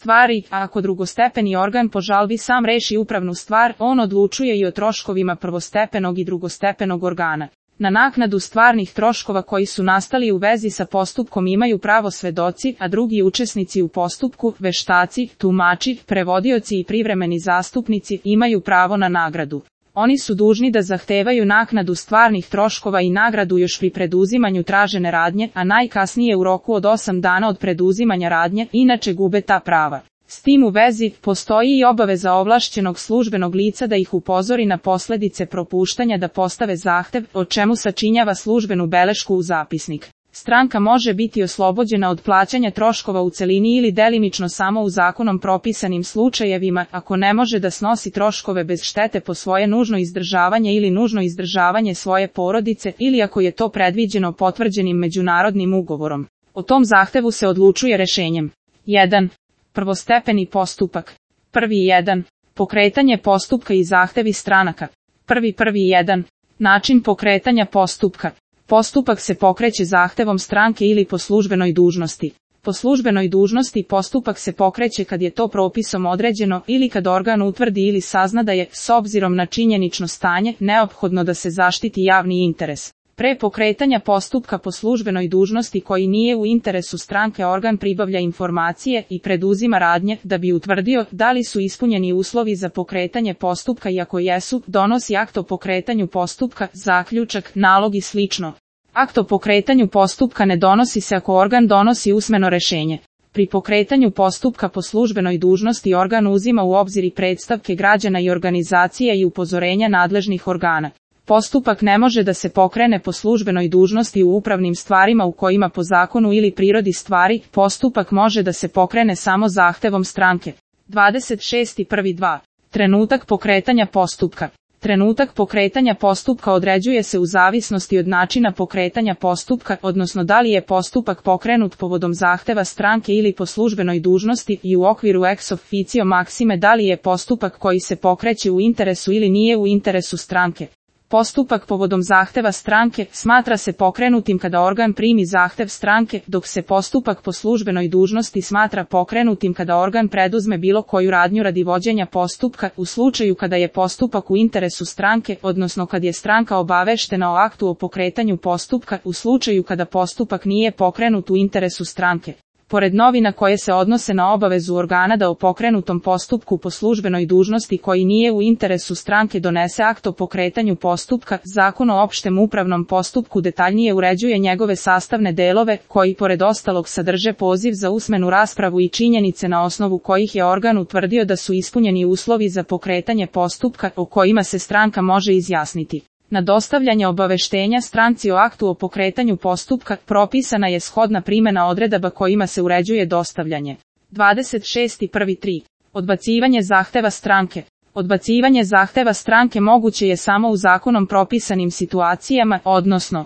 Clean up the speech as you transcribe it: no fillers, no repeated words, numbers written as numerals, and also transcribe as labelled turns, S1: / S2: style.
S1: stvari, a ako drugostepeni organ po žalbi sam reši upravnu stvar, on odlučuje i o troškovima prvostepenog i drugostepenog organa. Na naknadu stvarnih troškova koji su nastali u vezi sa postupkom imaju pravo svedoci, a drugi učesnici u postupku, veštaci, tumači, prevodioci i privremeni zastupnici, imaju pravo na nagradu. Oni su dužni da zahtevaju naknadu stvarnih troškova i nagradu još pri preduzimanju tražene radnje, a najkasnije u roku od 8 dana od preduzimanja radnje, inače gube ta prava. S tim u vezi, postoji i obaveza ovlašćenog službenog lica da ih upozori na posljedice propuštanja da postave zahtev, o čemu sačinjava službenu belešku u zapisnik. Stranka može biti oslobođena od plaćanja troškova u celini ili delimično samo u zakonom propisanim slučajevima, ako ne može da snosi troškove bez štete po svoje nužno izdržavanje ili nužno izdržavanje svoje porodice, ili ako je to predviđeno potvrđenim međunarodnim ugovorom. O tom zahtevu se odlučuje rešenjem. 1. Prvostepeni postupak. 1.1. Pokretanje postupka i zahtevi stranaka. 1.1. Način pokretanja postupka. Postupak se pokreće zahtevom stranke ili po službenoj dužnosti. Po službenoj dužnosti postupak se pokreće kad je to propisom određeno ili kad organ utvrdi ili sazna da je, s obzirom na činjenično stanje, neophodno da se zaštiti javni interes. Pre pokretanja postupka po službenoj dužnosti koji nije u interesu stranke, organ pribavlja informacije i preduzima radnje da bi utvrdio da li su ispunjeni uslovi za pokretanje postupka i ako jesu, donosi akt o pokretanju postupka, zaključak, nalog i slično. Akt o pokretanju postupka ne donosi se ako organ donosi usmeno rešenje. Pri pokretanju postupka po službenoj dužnosti organ uzima u obzir i predstavke građana i organizacije i upozorenja nadležnih organa. Postupak ne može da se pokrene po službenoj dužnosti u upravnim stvarima u kojima po zakonu ili prirodi stvari, postupak može da se pokrene samo zahtevom stranke. 26.1.2. Trenutak pokretanja postupka. Trenutak pokretanja postupka određuje se u zavisnosti od načina pokretanja postupka, odnosno da li je postupak pokrenut povodom zahteva stranke ili po službenoj dužnosti, i u okviru ex officio maksime da li je postupak koji se pokreće u interesu ili nije u interesu stranke. Postupak povodom zahteva stranke smatra se pokrenutim kada organ primi zahtev stranke, dok se postupak po službenoj dužnosti smatra pokrenutim kada organ preduzme bilo koju radnju radi vođenja postupka, u slučaju kada je postupak u interesu stranke, odnosno kad je stranka obaveštena o aktu o pokretanju postupka, u slučaju kada postupak nije pokrenut u interesu stranke. Pored novina koje se odnose na obavezu organa da o pokrenutom postupku po službenoj dužnosti koji nije u interesu stranke donese akt o pokretanju postupka, Zakon o opštem upravnom postupku detaljnije uređuje njegove sastavne delove, koji pored ostalog sadrže poziv za usmenu raspravu i činjenice na osnovu kojih je organ utvrdio da su ispunjeni uslovi za pokretanje postupka, o kojima se stranka može izjasniti. Na dostavljanje obaveštenja stranci o aktu o pokretanju postupka propisana je shodna primjena odredaba kojima se uređuje dostavljanje. 26.1.3. Odbacivanje zahteva stranke. Odbacivanje zahteva stranke moguće je samo u zakonom propisanim situacijama, odnosno